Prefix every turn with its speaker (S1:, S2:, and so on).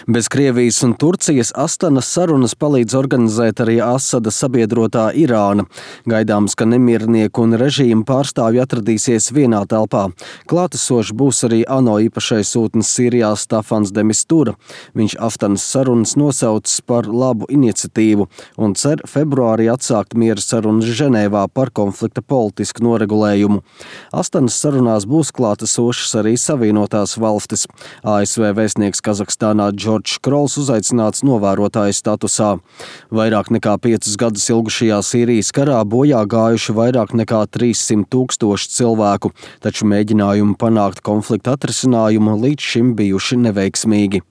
S1: Bez Krievijas un Turcijas Astanas sarunas palīdz organizēt arī Asada sabiedrotā Irāna. Gaidāms, ka nemiernieku un režīmu pārstāvji atradīsies vienā telpā. Klātesošs būs arī ANO īpašais sūtnis Sīrijā Stafans de Mistura. Viņš Astanas sarunas nosaucis par labu iniciatīvu un cer februārī atsākt miera sarunas Ženēvā par konflikta politisku noregulējumu. Astanas sarunās būs klātesošas arī Savienotās valstis. ASV vēstnieks Kazahstānā Džordžs Krols uzaicināts novērotāja statusā. Vairāk nekā 5 gadus ilgušajā Sīrijas karā bojā gājuši vairāk nekā 300 000 cilvēku, taču mēģinājumi panākt konflikta atrisinājumu līdz šim bijuši neveiksmīgi.